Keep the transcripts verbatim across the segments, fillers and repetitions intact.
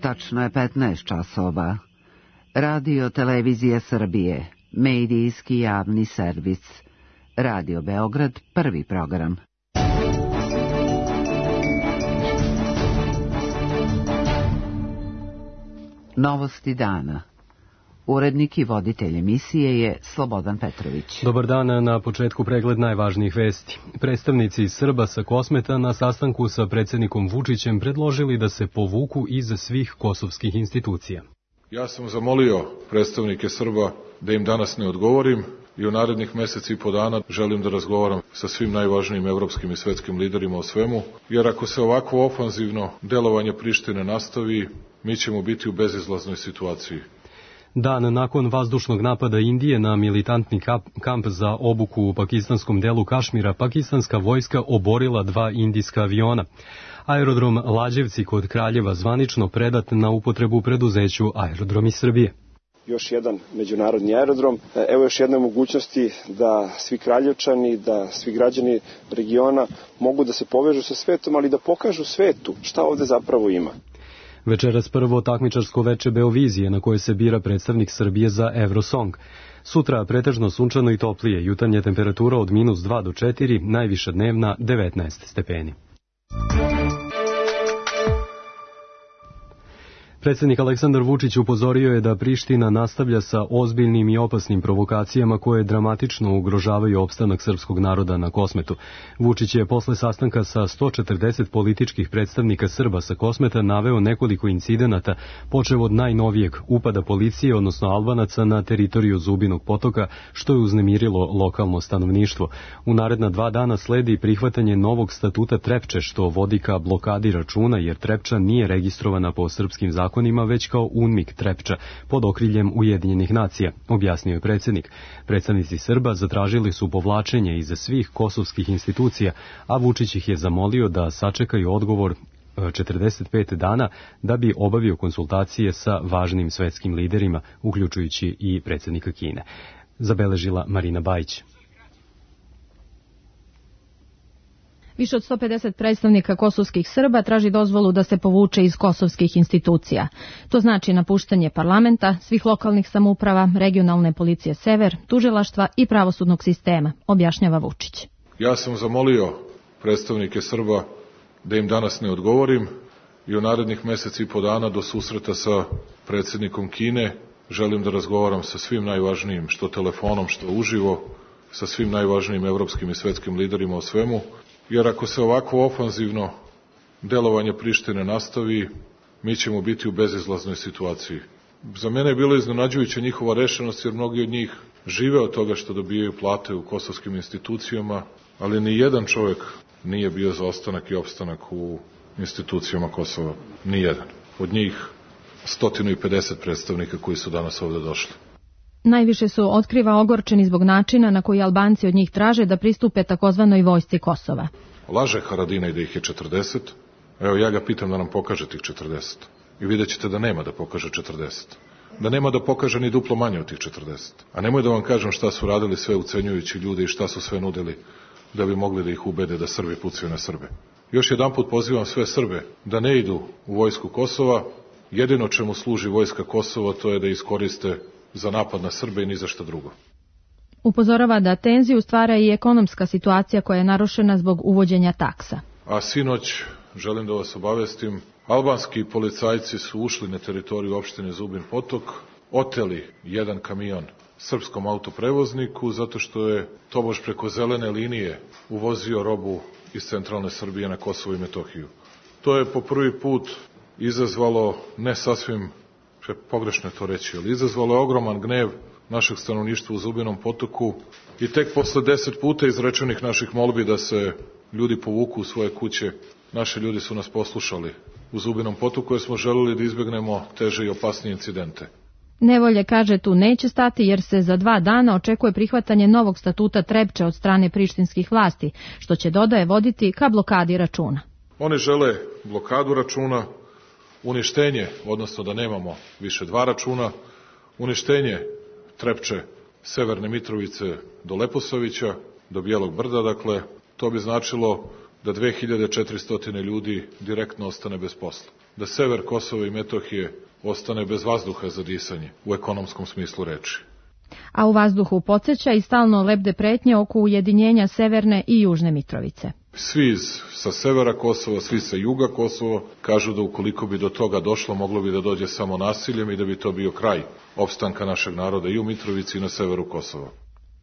Tačno je petnaest časova. Radio Televizija Srbije, medijski javni servis. Radio Beograd, prvi program. Novosti dana. Urednik i voditelj emisije je Slobodan Petrović. Dobar dan, na početku pregled najvažnijih vesti. Predstavnici Srba sa Kosmeta na sastanku sa predsjednikom Vučićem predložili da se povuku iz svih kosovskih institucija. Ja sam zamolio predstavnike Srba da im danas ne odgovorim i u narednih meseci i po dana želim da razgovaram sa svim najvažnijim evropskim i svetskim liderima o svemu, jer ako se ovako ofanzivno delovanje Prištine nastavi, mi ćemo biti u bezizlaznoj situaciji. Dan nakon vazdušnog napada Indije na militantni kamp za obuku u pakistanskom delu Kašmira, pakistanska vojska oborila dva indijska aviona. Aerodrom Lađevci kod Kraljeva zvanično predat na upotrebu preduzeću Aerodromi Srbije. Još jedan međunarodni aerodrom. Evo još jedne mogućnosti da svi Kraljevčani, da svi građani regiona mogu da se povežu sa svetom, ali da pokažu svetu šta ovde zapravo ima. Večeras prvo takmičarsko veče Beovizije na koje se bira predstavnik Srbije za Eurosong. Sutra pretežno sunčano i toplije, jutarnja temperatura od minus dva do četiri, najviša dnevna devetnaest stepeni. Predsjednik Aleksandar Vučić upozorio je da Priština nastavlja sa ozbiljnim i opasnim provokacijama koje dramatično ugrožavaju opstanak srpskog naroda na Kosmetu. Vučić je posle sastanka sa sto četrdeset političkih predstavnika Srba sa Kosmeta naveo nekoliko incidenata, počev od najnovijeg upada policije, odnosno Albanaca, na teritoriju Zubinog potoka, što je uznemirilo lokalno stanovništvo. U naredna dva dana sledi prihvatanje novog statuta Trepče, što vodi ka blokadi računa, jer Trepča nije registrovana po srpskim zakonima, već kao UNMIK Trepča, pod okriljem Ujedinjenih nacija, objasnio je predsjednik. Predstavnici Srba zatražili su povlačenje iz svih kosovskih institucija, a Vučić ih je zamolio da sačekaju odgovor četrdeset pet dana da bi obavio konsultacije sa važnim svetskim liderima, uključujući i predsjednika Kine. Zabeležila Marina Bajić. Više od sto pedeset predstavnika kosovskih Srba traži dozvolu da se povuče iz kosovskih institucija. To znači napuštanje parlamenta, svih lokalnih samouprava, regionalne policije Sever, tužilaštva i pravosudnog sistema, objašnjava Vučić. Ja sam zamolio predstavnike Srba da im danas ne odgovorim i u narednih meseci i po dana do susreta sa predsjednikom Kine želim da razgovaram sa svim najvažnijim, što telefonom, što uživo, sa svim najvažnijim evropskim i svetskim liderima o svemu, jer ako se ovako ofanzivno delovanje Prištine nastavi, mi ćemo biti u bezizlaznoj situaciji. Za mene je bilo iznenađujuća njihova rešenost, jer mnogi od njih žive od toga što dobijaju plate u kosovskim institucijama, ali ni jedan čovjek nije bio za ostanak i opstanak u institucijama Kosova. Ni jedan. Od njih sto pedeset predstavnika koji su danas ovde došli. Najviše su, otkriva, ogorčeni zbog načina na koji Albanci od njih traže da pristupe takozvanoj vojsci Kosova. Laže Haradinaj da ih je četrdeset. Evo, ja ga pitam da nam pokaže tih četrdeset. I vidjet ćete da nema da pokaže četrdeset. Da nema da pokaže ni duplo manje od tih četrdeset. A nemoj da vam kažem šta su radili sve ucenjujući ljude i šta su sve nudili da bi mogli da ih ubede da Srbi pucaju na Srbe. Još jedanput pozivam sve Srbe da ne idu u vojsku Kosova. Jedino čemu služi vojska Kosova to je da iskoriste za napad na Srbe i ni za šta drugo. Upozorava da tenziju stvara i ekonomska situacija koja je narušena zbog uvođenja taksa. A sinoć, želim da vas obavestim, albanski policajci su ušli na teritoriju opštine Zubin Potok, oteli jedan kamion srpskom autoprevozniku zato što je tobož preko zelene linije uvozio robu iz centralne Srbije na Kosovo i Metohiju. To je po prvi put izazvalo ne sasvim pogrešno je to reći, ali izazvalo je ogroman gnev našeg stanovništva u Zubinom Potoku i tek posle deset puta izrečenih naših molbi da se ljudi povuku u svoje kuće, naši ljudi su nas poslušali u Zubinom Potoku jer smo želeli da izbegnemo teže i opasnije incidente. Nevolje, kaže, tu neće stati jer se za dva dana očekuje prihvatanje novog statuta Trepče od strane prištinskih vlasti, što će, dodaje, voditi ka blokadi računa. Oni žele blokadu računa, uništenje, odnosno da nemamo više dva računa, uništenje Trepče, Severne Mitrovice do Leposavića, do Bijelog brda, dakle, to bi značilo da dve hiljade četiristo ljudi direktno ostane bez posla, da sever Kosova i Metohije ostane bez vazduha za disanje u ekonomskom smislu reči. A u vazduhu podsjeća i stalno lebde pretnje oko ujedinjenja Severne i Južne Mitrovice. Svi iz, sa severa Kosova, svi sa juga Kosova kažu da ukoliko bi do toga došlo, moglo bi da dođe samo nasiljem i da bi to bio kraj opstanka našeg naroda i u Mitrovici i na severu Kosova.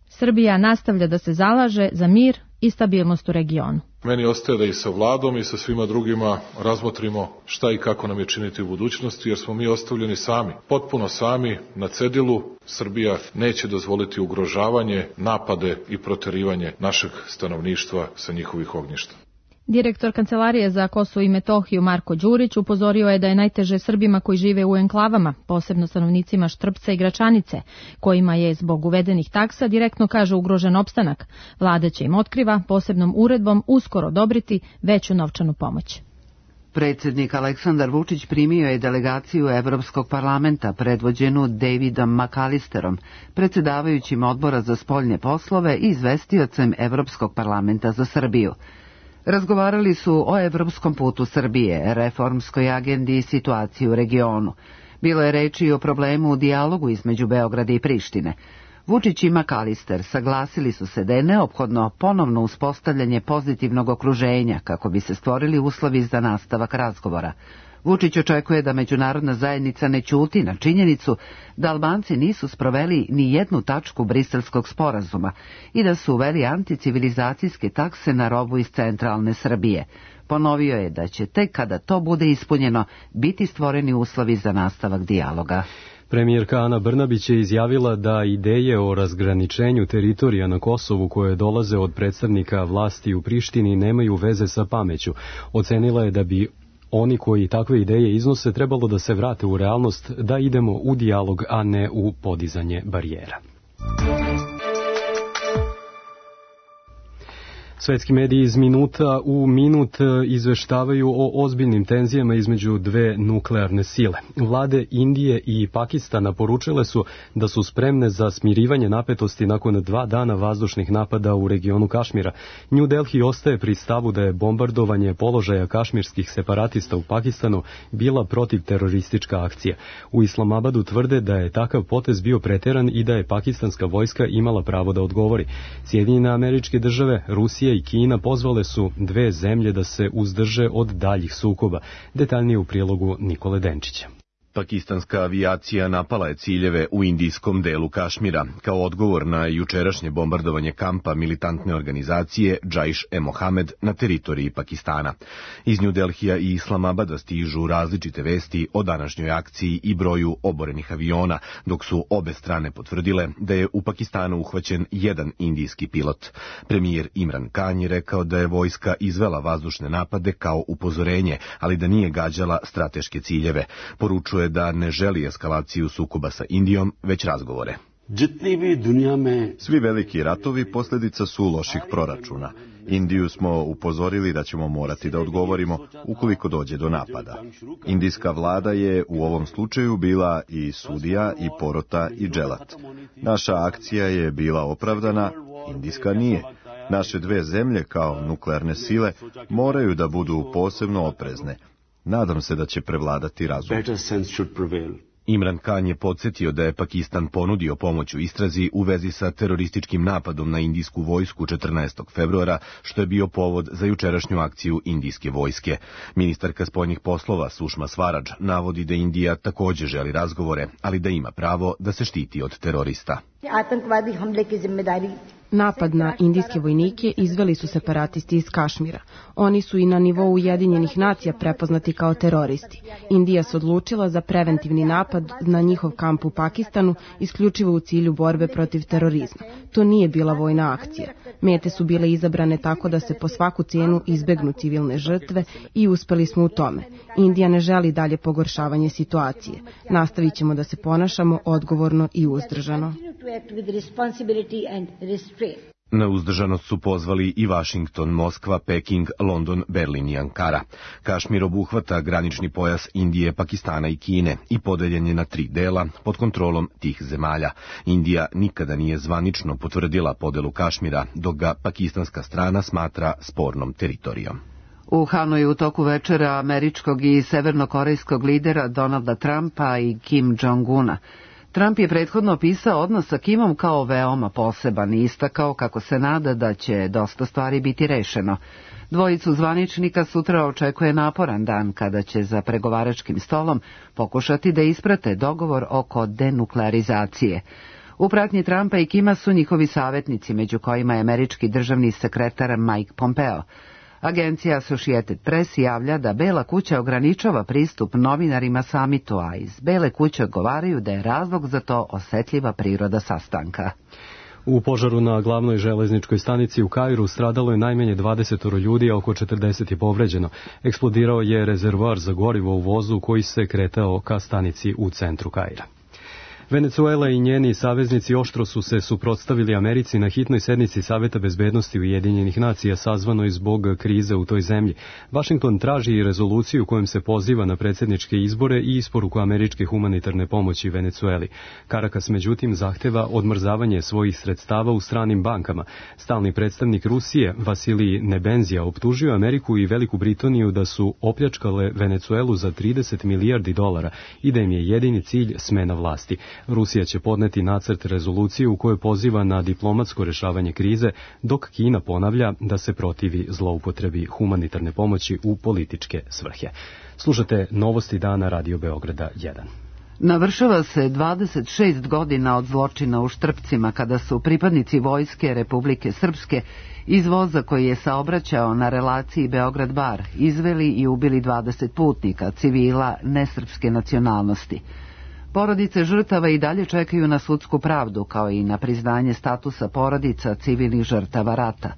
Srbija nastavlja da se zalaže za mir i stabilnost u regionu. Meni ostaje da i sa vladom i sa svima drugima razmotrimo šta i kako nam je činiti u budućnosti, jer smo mi ostavljeni sami, potpuno sami, na cedilu. Srbija neće dozvoliti ugrožavanje, napade i proterivanje našeg stanovništva sa njihovih ognjišta. Direktor Kancelarije za Kosovo i Metohiju Marko Đurić upozorio je da je najteže Srbima koji žive u enklavama, posebno stanovnicima Štrpca i Gračanice, kojima je zbog uvedenih taksa direktno, kaže, ugrožen opstanak. Vlada će im, otkriva, posebnom uredbom uskoro odobriti veću novčanu pomoć. Predsjednik Aleksandar Vučić primio je delegaciju Evropskog parlamenta predvođenu Davidom McAllisterom, predsjedavajućim odbora za spoljne poslove i izvestiocem Evropskog parlamenta za Srbiju. Razgovarali su o evropskom putu Srbije, reformskoj agendi i situaciji u regionu. Bilo je reči i o problemu u dijalogu između Beograda i Prištine. Vučić i McAllister saglasili su se da je neophodno ponovno uspostavljanje pozitivnog okruženja kako bi se stvorili uslovi za nastavak razgovora. Vučić očekuje da međunarodna zajednica ne ćuti na činjenicu da Albanci nisu sproveli ni jednu tačku Briselskog sporazuma i da su uveli anticivilizacijske takse na robu iz centralne Srbije. Ponovio je da će tek kada to bude ispunjeno biti stvoreni uslovi za nastavak dijaloga. Premijerka Ana Brnabić je izjavila da ideje o razgraničenju teritorija na Kosovu koje dolaze od predstavnika vlasti u Prištini nemaju veze sa pameću. Ocenila je da bi oni koji takve ideje iznose trebalo da se vrate u realnost, da idemo u dijalog, a ne u podizanje barijera. Svetski mediji iz minuta u minut izveštavaju o ozbiljnim tenzijama između dve nuklearne sile. Vlade Indije i Pakistana poručile su da su spremne za smirivanje napetosti nakon dva dana vazdušnih napada u regionu Kašmira. New Delhi ostaje pri stavu da je bombardovanje položaja kašmirskih separatista u Pakistanu bila protivteroristička akcija. U Islamabadu tvrde da je takav potez bio preteran i da je pakistanska vojska imala pravo da odgovori. Sjedinjene Američke Države, Rusija i Kina pozvale su dve zemlje da se uzdrže od daljih sukoba. Detaljnije u prilogu Nikole Denčića. Pakistanska avijacija napala je ciljeve u indijskom delu Kašmira, kao odgovor na jučerašnje bombardovanje kampa militantne organizacije Džaiš-e-Mohamed na teritoriji Pakistana. Iz New Delhija i Islamabada stižu različite vesti o današnjoj akciji i broju oborenih aviona, dok su obe strane potvrdile da je u Pakistanu uhvaćen jedan indijski pilot. Premijer Imran Khan je rekao da je vojska izvela vazdušne napade kao upozorenje, ali da nije gađala strateške ciljeve. Poručuje da ne želi eskalaciju sukoba sa Indijom, već razgovore. Svi veliki ratovi posljedica su loših proračuna. Indiju smo upozorili da ćemo morati da odgovorimo ukoliko dođe do napada. Indijska vlada je u ovom slučaju bila i sudija, i porota, i dželat. Naša akcija je bila opravdana, indijska nije. Naše dve zemlje kao nuklearne sile moraju da budu posebno oprezne. Nadam se da će prevladati razum. Imran Khan je podsjetio da je Pakistan ponudio pomoć u istrazi u vezi sa terorističkim napadom na indijsku vojsku četrnaestog februara, što je bio povod za jučerašnju akciju indijske vojske. Ministarka spoljnih poslova Sušma Svaradž navodi da Indija također želi razgovore, ali da ima pravo da se štiti od terorista. Napad na indijske vojnike izveli su separatisti iz Kašmira. Oni su i na nivou Ujedinjenih nacija prepoznati kao teroristi. Indija se odlučila za preventivni napad na njihov kamp u Pakistanu isključivo u cilju borbe protiv terorizma. To nije bila vojna akcija. Mete su bile izabrane tako da se po svaku cijenu izbegnu civilne žrtve i uspeli smo u tome. Indija ne želi dalje pogoršavanje situacije. Nastavit ćemo da se ponašamo odgovorno i uzdržano. Na uzdržanost su pozvali i Vašington, Moskva, Peking, London, Berlin i Ankara. Kašmir obuhvata granični pojas Indije, Pakistana i Kine i podeljen je na tri dela pod kontrolom tih zemalja. Indija nikada nije zvanično potvrdila podelu Kašmira, dok ga pakistanska strana smatra spornom teritorijom. U Hanoju u toku večera američkog i severnokorejskog lidera Donalda Trumpa i Kim Jong-una. Trump je prethodno opisao odnos sa Kimom kao veoma poseban i istakao kako se nada da će dosta stvari biti rešeno. Dvojicu zvaničnika sutra očekuje naporan dan kada će za pregovaračkim stolom pokušati da isprate dogovor oko denuklearizacije. U pratnji Trumpa i Kima su njihovi savjetnici, među kojima je američki državni sekretar Mike Pompeo. Agencija Associated Press javlja da Bela kuća ograničava pristup novinarima samitu, a iz Bele kuće odgovaraju da je razlog za to osetljiva priroda sastanka. U požaru na glavnoj železničkoj stanici u Kairu stradalo je najmanje dvadeset ljudi, a oko četrdeset je povređeno. Eksplodirao je rezervoar za gorivo u vozu koji se kretao ka stanici u centru Kaira. Venecuela i njeni saveznici oštro su se suprotstavili Americi na hitnoj sednici Saveta bezbednosti Ujedinjenih nacija sazvanoj zbog krize u toj zemlji. Vašington traži rezoluciju kojom se poziva na predsjedničke izbore i isporuku američke humanitarne pomoći Venecueli. Karakas međutim zahteva odmrzavanje svojih sredstava u stranim bankama. Stalni predstavnik Rusije Vasilij Nebenzija optužio Ameriku i Veliku Britaniju da su opljačkale Venecuelu za trideset milijardi dolara i da im je jedini cilj smena vlasti. Rusija će podneti nacrt rezolucije u kojoj poziva na diplomatsko rešavanje krize, dok Kina ponavlja da se protivi zloupotrebi humanitarne pomoći u političke svrhe. Slušate Novosti dana Radio Beograda jedan. Navršava se dvadeset šest godina od zločina u Štrpcima, kada su pripadnici Vojske Republike Srpske iz voza koji je saobraćao na relaciji Beograd-Bar izveli i ubili dvadeset putnika, civila nesrpske nacionalnosti. Porodice žrtava i dalje čekaju na sudsku pravdu, kao i na priznanje statusa porodica civilnih žrtava rata.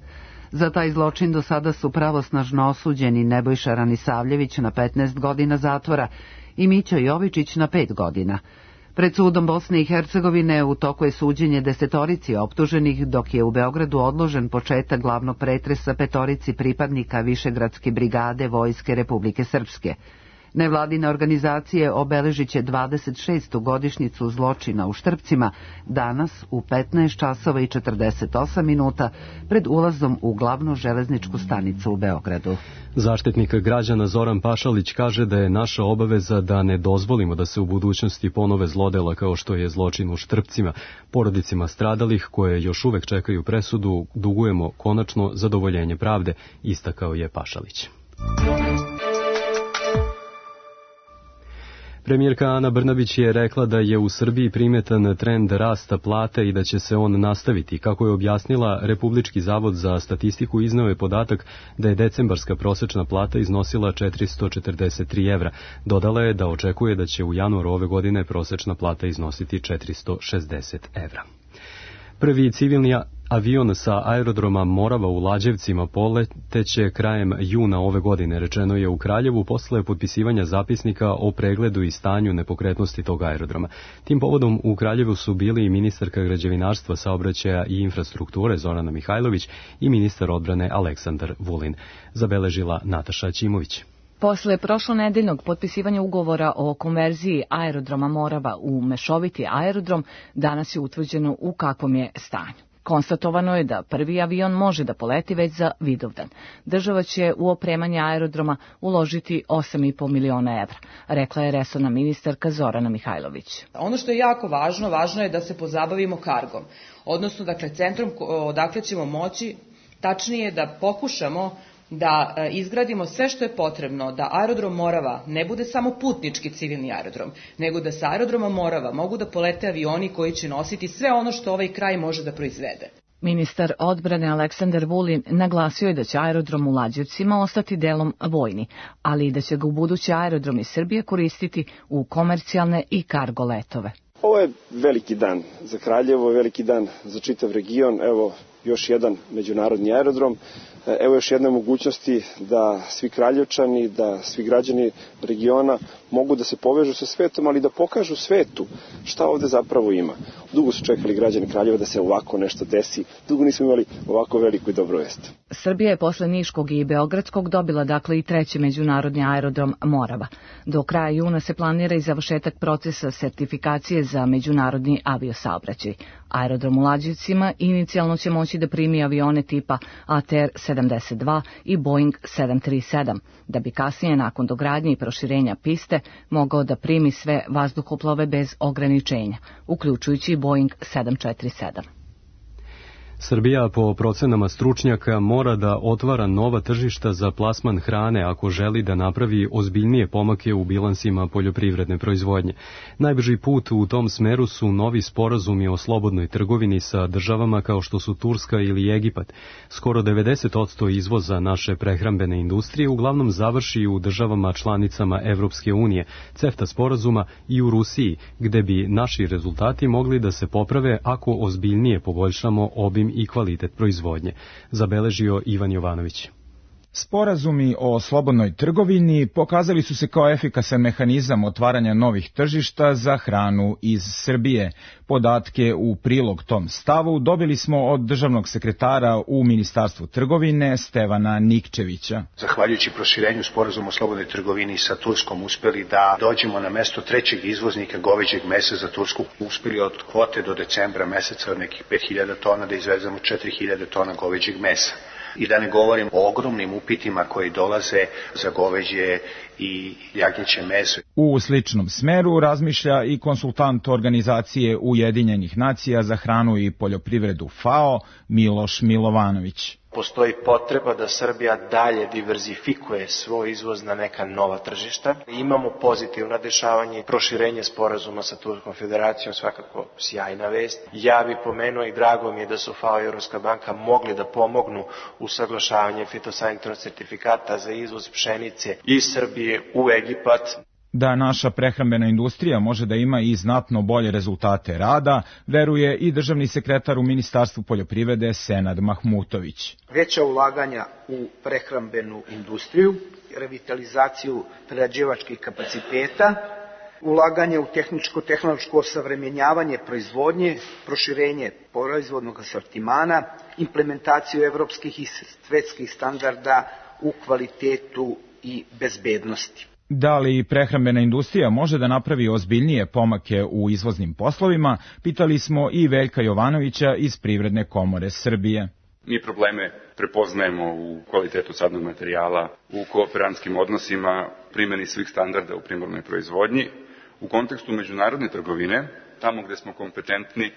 Za taj zločin do sada su pravosnažno osuđeni Nebojša Ranisavljević na petnaest godina zatvora i Mićo Jovičić na pet godina. Pred sudom Bosne i Hercegovine u toku je suđenje desetorici optuženih, dok je u Beogradu odložen početak glavnog pretresa petorici pripadnika Višegradske brigade Vojske Republike Srpske. Nevladine organizacije obeležit će dvadeset šestu godišnjicu zločina u Štrpcima danas u petnaest časova i četrdeset osam minuta pred ulazom u glavnu železničku stanicu u Beogradu. Zaštitnik građana Zoran Pašalić kaže da je naša obaveza da ne dozvolimo da se u budućnosti ponove zlodela kao što je zločin u Štrpcima. Porodicima stradalih koje još uvek čekaju presudu dugujemo konačno zadovoljenje pravde, istakao je Pašalić. Premijerka Ana Brnabić je rekla da je u Srbiji primetan trend rasta plate i da će se on nastaviti. Kako je objasnila, Republički zavod za statistiku izneo je podatak da je decembarska prosečna plata iznosila četiristo četrdeset tri evra. Dodala je da očekuje da će u januaru ove godine prosečna plata iznositi četiristo šezdeset evra. Prvi civilni avion sa aerodroma Morava u Lađevcima poleteće krajem juna ove godine, rečeno je u Kraljevu posle potpisivanja zapisnika o pregledu i stanju nepokretnosti tog aerodroma. Tim povodom u Kraljevu su bili i ministarka građevinarstva, saobraćaja i infrastrukture Zorana Mihajlović i ministar odbrane Aleksandar Vulin, zabeležila Nataša Ćimović. Posle prošlonedeljnog potpisivanja ugovora o konverziji aerodroma Morava u mešoviti aerodrom, danas je utvrđeno u kakvom je stanju. Konstatovano je da prvi avion može da poleti već za Vidovdan. Država će u opremanje aerodroma uložiti osam i po miliona evra, rekla je resorna ministarka Zorana Mihajlović. Ono što je jako važno, važno je da se pozabavimo kargom, odnosno dakle centrom odakle ćemo moći, tačnije da pokušamo da izgradimo sve što je potrebno da aerodrom Morava ne bude samo putnički civilni aerodrom, nego da sa aerodroma Morava mogu da polete avioni koji će nositi sve ono što ovaj kraj može da proizvede. Ministar odbrane Aleksandar Vulin naglasio je da će aerodrom u Lađevcima ostati delom vojni, ali i da će ga u budući aerodromi Srbije koristiti u komercijalne i kargo letove. Ovo je veliki dan za Kraljevo, veliki dan za čitav region. Evo još jedan međunarodni aerodrom. Evo još jedne mogućnosti da svi Kraljevčani, da svi građani regiona mogu da se povežu sa svetom, ali da pokažu svetu šta ovde zapravo ima. Dugo su čekali građani Kraljeva da se ovako nešto desi. Dugo nismo imali ovako veliku i dobru vest. Srbija je posle Niškog i Beogradskog dobila dakle i treći međunarodni aerodrom Morava. Do kraja juna se planira i završetak procesa sertifikacije za međunarodni aviosaobraćaj. Aerodrom u Lađevcima inicijalno će moći da primi avione tipa A T R sedamdeset dva i Boeing sedam tri sedam, da bi kasnije nakon dogradnje i proširenja piste mogao da primi sve vazduhoplove bez ograničenja, uključujući Boeing sedam četiri sedam. Srbija po procenama stručnjaka mora da otvara nova tržišta za plasman hrane ako želi da napravi ozbiljnije pomake u bilansima poljoprivredne proizvodnje. Najbrži put u tom smeru su novi sporazumi o slobodnoj trgovini sa državama kao što su Turska ili Egipat. Skoro devedeset posto izvoza naše prehrambene industrije uglavnom završi u državama članicama Evropske unije, CEFTA sporazuma i u Rusiji, gde bi naši rezultati mogli da se poprave ako ozbiljnije poboljšamo obim i kvalitet proizvodnje, zabeležio Ivan Jovanović. Sporazumi o slobodnoj trgovini pokazali su se kao efikasan mehanizam otvaranja novih tržišta za hranu iz Srbije. Podatke u prilog tom stavu dobili smo od državnog sekretara u Ministarstvu trgovine Stevana Nikčevića. Zahvaljujući proširenju sporazuma o slobodnoj trgovini sa Turskom uspeli da dođemo na mesto trećeg izvoznika goveđeg mesa za Tursku. Uspeli od kvote do decembra meseca od nekih pet hiljada tona da izvezemo četiri hiljade tona goveđeg mesa. I da ne govorim o ogromnim upitima koji dolaze za goveđe i jagnjeće meso. U sličnom smeru razmišlja i konsultant organizacije Ujedinjenih nacija za hranu i poljoprivredu FAO Miloš Milovanović. Postoji potreba da Srbija dalje diverzifikuje svoj izvoz na neka nova tržišta. Imamo pozitivna dešavanja i proširenje sporazuma sa Turskom federacijom, svakako sjajna vest. Ja bih pomenuo i drago mi je da su FAO i Evropska banka mogli da pomognu u saglašavanje fitosanitarnog sertifikata za izvoz pšenice iz Srbije u Egipat. Da naša prehrambena industrija može da ima i znatno bolje rezultate rada, veruje i državni sekretar u Ministarstvu poljoprivrede Senad Mahmutović. Veća ulaganja u prehrambenu industriju, revitalizaciju prerađivačkih kapaciteta, ulaganje u tehničko-tehnološko osavremenjavanje proizvodnje, proširenje proizvodnog asortimana, implementaciju evropskih i svetskih standarda u kvalitetu i bezbednosti. Da li prehrambena industrija može da napravi ozbiljnije pomake u izvoznim poslovima, pitali smo i Veljka Jovanovića iz Privredne komore Srbije. Mi probleme prepoznajemo u kvalitetu sadnog materijala, u kooperantskim odnosima, primjeni svih standarda u primarnoj proizvodnji. U kontekstu međunarodne trgovine, tamo gde smo kompetentni,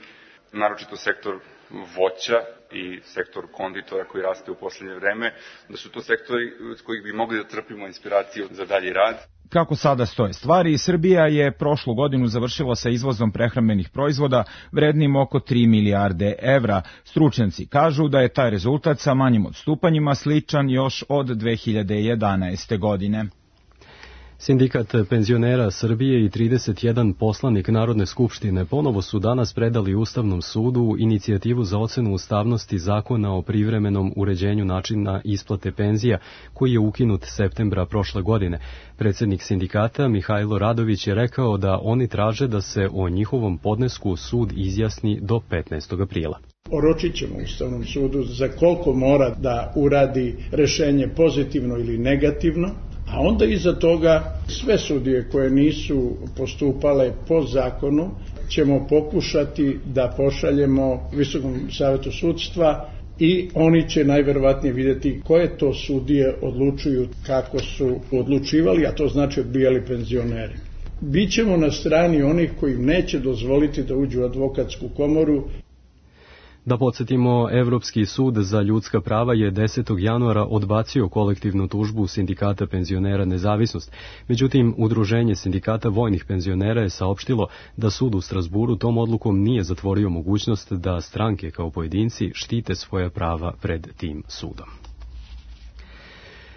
naročito sektor voća i sektor konditora koji raste u poslednje vreme, da su to sektori s kojih bi mogli da trpimo inspiraciju za dalji rad. Kako sada stoje stvari, Srbija je prošlu godinu završila sa izvozom prehrambenih proizvoda vrednim oko tri milijarde evra. Stručnjaci kažu da je taj rezultat sa manjim odstupanjima sličan još od dve hiljade jedanaeste. godine. Sindikat penzionera Srbije i trideset jedan poslanik Narodne skupštine ponovo su danas predali Ustavnom sudu inicijativu za ocenu ustavnosti zakona o privremenom uređenju načina isplate penzija, koji je ukinut septembra prošle godine. Predsjednik sindikata Mihajlo Radović je rekao da oni traže da se o njihovom podnesku sud izjasni do petnaestog aprila. Oročit ćemo Ustavnom sudu za koliko mora da uradi rešenje pozitivno ili negativno, a onda iza toga sve sudije koje nisu postupale po zakonu ćemo pokušati da pošaljemo Visokom savetu sudstva i oni će najverovatnije vidjeti koje to sudije odlučuju kako su odlučivali, a to znači odbijali penzionere. Bićemo na strani onih koji neće dozvoliti da uđu u advokatsku komoru. Da podsjetimo, Evropski sud za ljudska prava je desetog januara odbacio kolektivnu tužbu sindikata penzionera Nezavisnost. Međutim, Udruženje sindikata vojnih penzionera je saopštilo da sud u Strasburu tom odlukom nije zatvorio mogućnost da stranke kao pojedinci štite svoja prava pred tim sudom.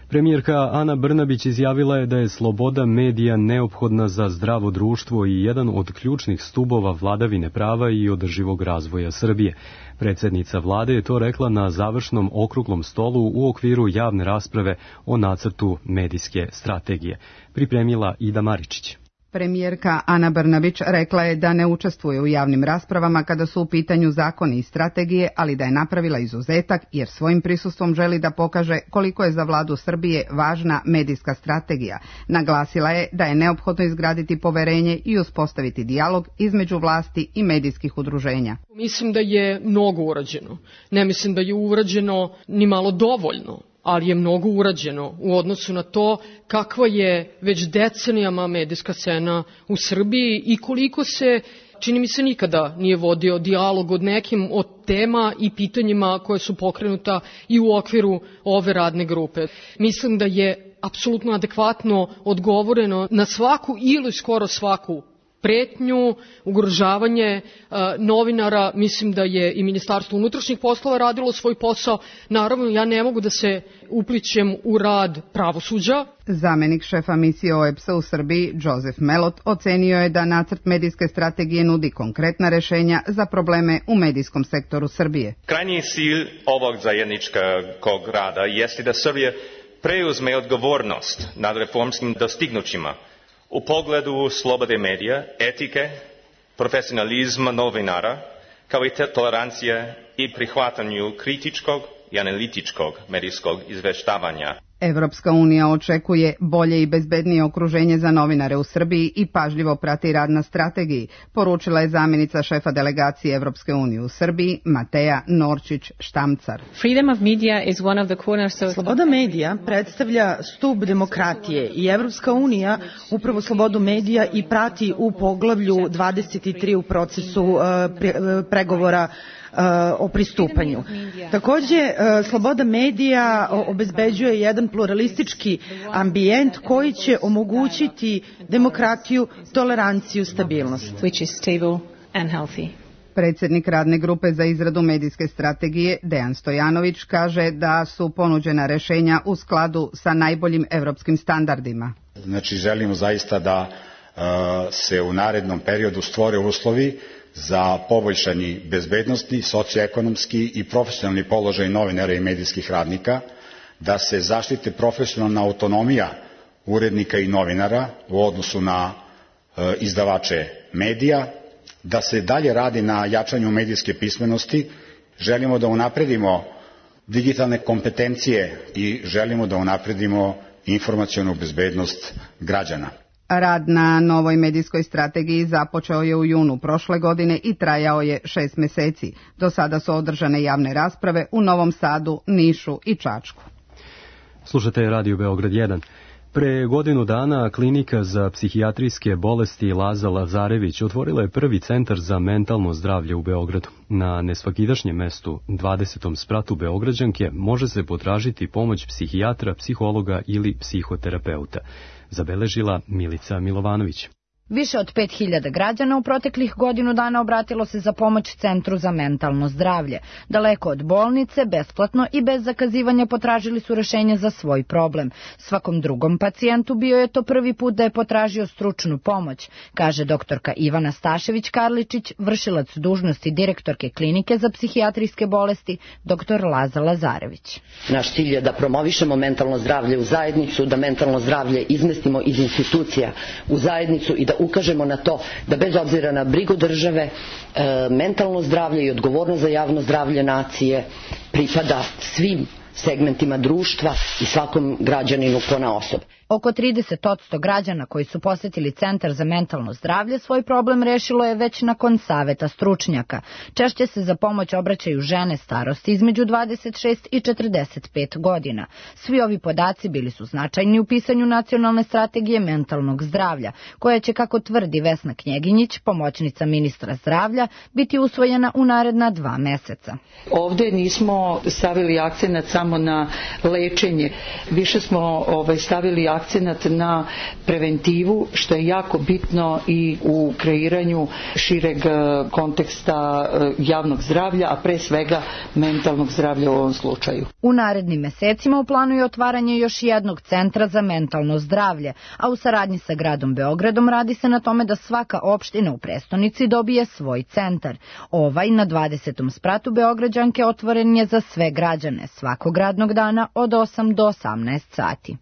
Premijerka Ana Brnabić izjavila je da je sloboda medija neophodna za zdravo društvo i jedan od ključnih stubova vladavine prava i održivog razvoja Srbije. Predsjednica vlade je to rekla na završnom okruglom stolu u okviru javne rasprave o nacrtu medijske strategije. Pripremila Ida Maričić. Premijerka Ana Brnabić rekla je da ne učestvuje u javnim raspravama kada su u pitanju zakoni i strategije, ali da je napravila izuzetak jer svojim prisustvom želi da pokaže koliko je za vladu Srbije važna medijska strategija. Naglasila je da je neophodno izgraditi poverenje i uspostaviti dijalog između vlasti i medijskih udruženja. Mislim da je mnogo urađeno. Ne mislim da je urađeno ni malo dovoljno, ali je mnogo urađeno u odnosu na to kakva je već decenijama medijska scena u Srbiji i koliko se, čini mi se, nikada nije vodio dijalog od nekim od tema i pitanjima koje su pokrenuta i u okviru ove radne grupe. Mislim da je apsolutno adekvatno odgovoreno na svaku ili skoro svaku pretnju, ugrožavanje uh, novinara. Mislim da je i Ministarstvo unutrašnjih poslova radilo svoj posao. Naravno, ja ne mogu da se uplićem u rad pravosuđa. Zamenik šefa misije O E B S-a u Srbiji, Joseph Melot, ocenio je da nacrt medijske strategije nudi konkretna rešenja za probleme u medijskom sektoru Srbije. Krajnji cilj ovog zajedničkog rada jeste da Srbija preuzme odgovornost nad reformskim dostignućima u pogledu slobode medija, etike, profesionalizma novinara, kao i tolerancije i prihvatanju kritičkog i analitičkog medijskog izveštavanja. Evropska unija očekuje bolje i bezbednije okruženje za novinare u Srbiji i pažljivo prati rad na strategiji, poručila je zamjenica šefa delegacije Evropske unije u Srbiji, Mateja Norčić-Štamcar. Sloboda medija predstavlja stub demokratije i Evropska unija upravo slobodu medija i prati u poglavlju dvadeset tri u procesu uh, pre, uh, pregovora o pristupanju. Takođe, sloboda medija obezbeđuje jedan pluralistički ambijent koji će omogućiti demokratiju, toleranciju, stabilnost. Predsjednik radne grupe za izradu medijske strategije, Dejan Stojanović, kaže da su ponuđena rešenja u skladu sa najboljim evropskim standardima. Znači, želimo zaista da uh, se u narednom periodu stvore uslovi za poboljšanje bezbednosti, socioekonomski i profesionalni položaj novinara i medijskih radnika, da se zaštite profesionalna autonomija urednika i novinara u odnosu na e, izdavače medija, da se dalje radi na jačanju medijske pismenosti, želimo da unapredimo digitalne kompetencije i želimo da unapredimo informacionu bezbednost građana. Rad na novoj medijskoj strategiji započeo je u junu prošle godine i trajao je šest meseci. Do sada su održane javne rasprave u Novom Sadu, Nišu i Čačku. Slušate Radio Beograd jedan. Pre godinu dana klinika za psihijatrijske bolesti Laza Lazarević otvorila je prvi centar za mentalno zdravlje u Beogradu. Na nesvakidašnjem mestu, dvadesetom spratu Beograđanke, može se potražiti pomoć psihijatra, psihologa ili psihoterapeuta, zabeležila Milica Milovanović. Više od pet hiljada građana u proteklih godinu dana obratilo se za pomoć Centru za mentalno zdravlje. Daleko od bolnice, besplatno i bez zakazivanja potražili su rešenje za svoj problem. Svakom drugom pacijentu bio je to prvi put da je potražio stručnu pomoć, kaže doktorka Ivana Stašević-Karličić, vršilac dužnosti direktorke klinike za psihijatrijske bolesti, doktor Laza Lazarević. Naš cilj je da promovišemo mentalno zdravlje u zajednicu, da mentalno zdravlje izmestimo iz institucija u zajednicu i da ukažemo na to da bez obzira na brigu države, e, mentalno zdravlje i odgovornost za javno zdravlje nacije pripada svim segmentima društva i svakom građaninu ponaosob. Oko trideset posto građana koji su posetili Centar za mentalno zdravlje svoj problem rešilo je već nakon saveta stručnjaka. Češće se za pomoć obraćaju žene starosti između dvadeset šest i četrdeset pet godina. Svi ovi podaci bili su značajni u pisanju nacionalne strategije mentalnog zdravlja, koja će, kako tvrdi Vesna Knjeginjić, pomoćnica ministra zdravlja, biti usvojena u naredna dva meseca. Ovde nismo stavili akcenat samo na lečenje, više smo ovaj, stavili akcenat na preventivu, što je jako bitno i u kreiranju šireg konteksta javnog zdravlja, a pre svega mentalnog zdravlja u ovom slučaju. U narednim mesecima u planu je otvaranje još jednog centra za mentalno zdravlje, a u saradnji sa gradom Beogradom radi se na tome da svaka opština u prestonici dobije svoj centar. Ovaj na dvadesetom spratu Beograđanke otvoren je za sve građane svakog radnog dana od osam do osamnaest sati.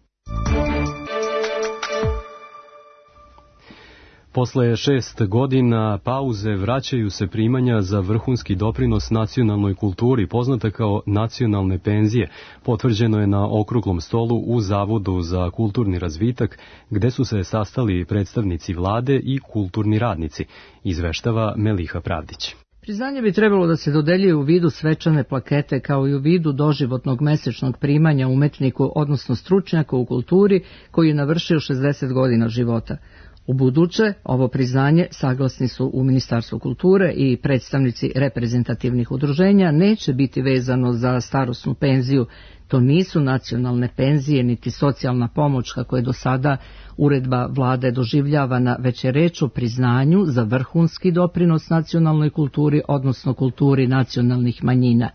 Posle šest godina pauze vraćaju se primanja za vrhunski doprinos nacionalnoj kulturi, poznata kao nacionalne penzije. Potvrđeno je na okruglom stolu u Zavodu za kulturni razvitak, gde su se sastali predstavnici vlade i kulturni radnici, izveštava Meliha Pravdić. Priznanje bi trebalo da se dodeljuje u vidu svečane plakete kao i u vidu doživotnog mesečnog primanja umetniku, odnosno stručnjaku u kulturi koji je navršio šezdeset godina života. U buduće, ovo priznanje, saglasni su u Ministarstvu kulture i predstavnici reprezentativnih udruženja, neće biti vezano za starosnu penziju. To nisu nacionalne penzije niti socijalna pomoć kako je do sada uredba vlade doživljavana, već je reč o priznanju za vrhunski doprinos nacionalnoj kulturi, odnosno kulturi nacionalnih manjina.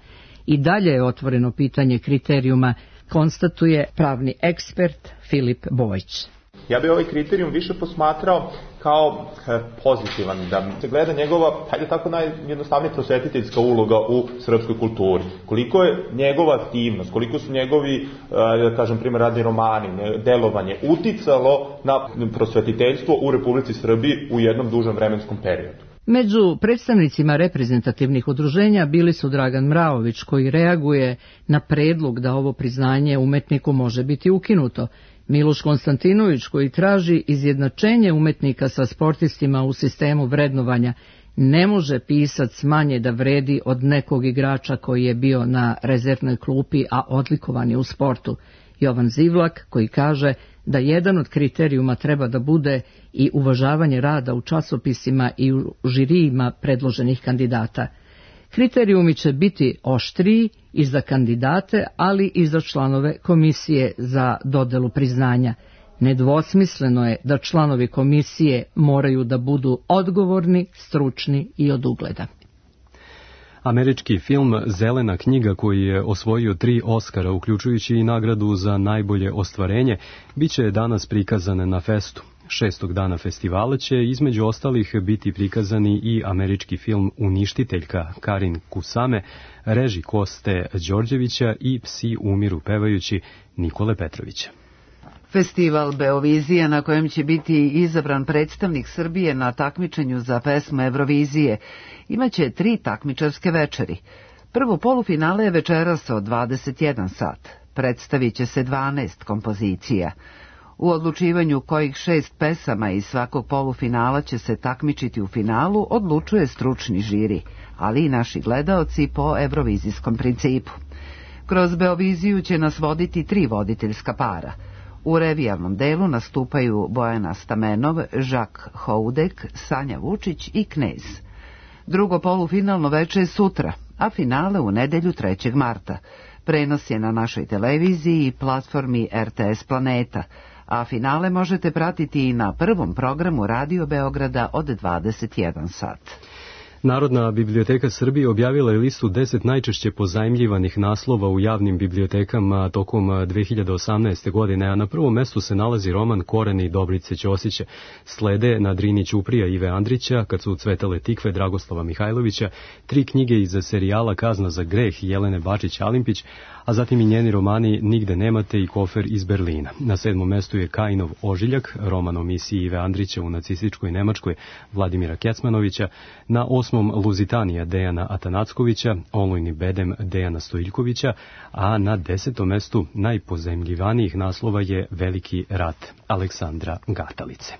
I dalje je otvoreno pitanje kriterijuma, konstatuje pravni ekspert Filip Bojić. Ja bih ovaj kriterijum više posmatrao kao e, pozitivan, da se gleda njegova, hajde tako najjednostavnije prosvetiteljska uloga u srpskoj kulturi. Koliko je njegova aktivnost, koliko su njegovi, e, da kažem, primjer radni romani, delovanje, uticalo na prosvetiteljstvo u Republici Srbiji u jednom dužem vremenskom periodu. Među predstavnicima reprezentativnih udruženja bili su Dragan Mraović, koji reaguje na predlog da ovo priznanje umetniku može biti ukinuto, Miloš Konstantinović, koji traži izjednačenje umetnika sa sportistima u sistemu vrednovanja. Ne može pisac manje da vredi od nekog igrača koji je bio na rezervnoj klupi, a odlikovan je u sportu. Jovan Zivlak, koji kaže da jedan od kriterijuma treba da bude i uvažavanje rada u časopisima i u žirijima predloženih kandidata. Kriterijumi će biti oštriji i za kandidate, ali i za članove komisije za dodelu priznanja. Nedvosmisleno je da članovi komisije moraju da budu odgovorni, stručni i od ugleda. Američki film Zelena knjiga, koji je osvojio tri Oskara, uključujući i nagradu za najbolje ostvarenje, biće danas prikazan na festu. Šestog dana festivala će između ostalih biti prikazani i američki film Uništiteljka Karin Kusame, reži Koste Đorđevića i Psi umiru pevajući Nikole Petrovića. Festival Beovizija, na kojem će biti izabran predstavnik Srbije na takmičenju za pesmu Evrovizije, imaće tri takmičarske večeri. Prvo polufinale je večeras od dvadeset jedan sat. Predstavit će se dvanaest kompozicija. U odlučivanju kojih šest pesama iz svakog polufinala će se takmičiti u finalu odlučuje stručni žiri, ali i naši gledaoci po evrovizijskom principu. Kroz Beoviziju će nas voditi tri voditeljska para. U revijalnom delu nastupaju Bojana Stamenov, Žak Houdek, Sanja Vučić i Knez. Drugo polufinalno veče je sutra, a finale u nedelju trećeg marta. Prenos je na našoj televiziji i platformi R T S Planeta, a finale možete pratiti i na prvom programu Radio Beograda od dvadeset jedan sat. Narodna biblioteka Srbije objavila je listu deset najčešće pozajmljivanih naslova u javnim bibliotekama tokom dve hiljade osamnaeste. godine, a na prvom mestu se nalazi roman Koreni Dobrice Ćosića. Slede Na Drini Ćuprija Ive Andrića, Kad su cvetale tikve Dragoslava Mihajlovića, tri knjige iz serijala Kazna za greh Jelene Bačić-Alimpić, a zatim i njeni romani Nigde nemate i Kofer iz Berlina. Na sedmom mestu je Kajinov ožiljak, roman o misiji Ive Andrića u nacističkoj Nemačkoj Vladimira Kecmanovića, na osmom Luzitanija Dejana Atanackovića, Olujni bedem Dejana Stojiljkovića, a na desetom mestu najpozajmljivanijih naslova je Veliki rat Aleksandra Gatalice.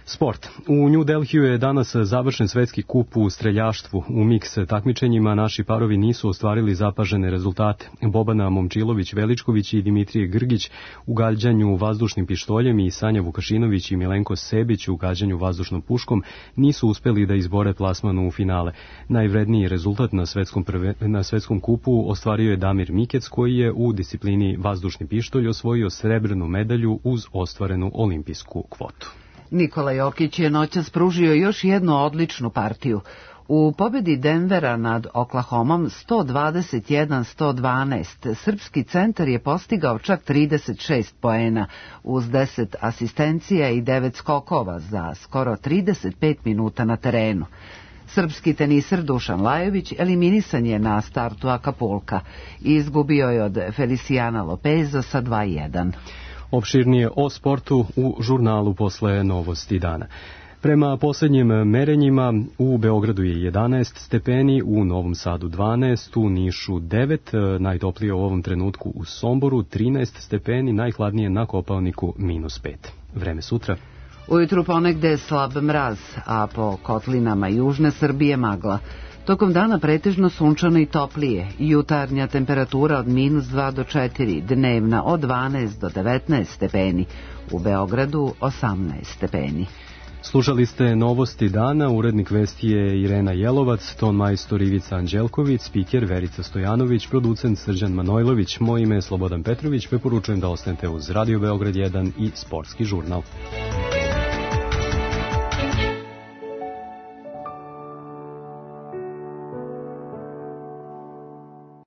Sport. U New Delhiju je danas završen svetski kup u streljaštvu. U miks takmičenjima naši parovi nisu ostvarili zapažene rezultate. Bobana Momčilović-Veličković i Dimitrije Grgić u gađanju vazdušnim pištoljem i Sanja Vukašinović i Milenko Sebić u gađanju vazdušnom puškom nisu uspeli da izbore plasmanu u finale. Najvredniji rezultat na svetskom, prve, na svetskom kupu ostvario je Damir Mikec, koji je u disciplini vazdušni pištolj osvojio srebrnu medalju uz ostvarenu olimpijsku kvotu. Nikola Jokić je noćas pružio još jednu odličnu partiju. U pobedi Denvera nad Oklahomom sto dvadeset jedan sto dvanaest srpski centar je postigao čak trideset šest poena uz deset asistencija i devet skokova za skoro trideset pet minuta na terenu. Srpski teniser Dušan Lajović eliminisan je na startu Akapulka i izgubio je od Feliciana Lopeza sa dva jedan. Opširnije o sportu u žurnalu posle Novosti dana. Prema poslednjim merenjima u Beogradu je jedanaest stepeni, u Novom Sadu dvanaest, u Nišu devet, najtoplije u ovom trenutku u Somboru trinaest stepeni, najhladnije na Kopaoniku minus pet. Vreme sutra. Ujutru ponegde slab mraz, a po kotlinama južne Srbije magla. Tokom dana pretežno sunčano i toplije, jutarnja temperatura od minus dva do četiri, dnevna od dvanaest do devetnaest stepeni, u Beogradu osamnaest stepeni. Slušali ste Novosti dana, urednik vesti je Irena Jelovac, ton majstor Ivica Anđelković, spiker Verica Stojanović, producent Srđan Manojlović, moje ime je Slobodan Petrović, preporučujem da ostanete uz Radio Beograd jedan i Sportski žurnal.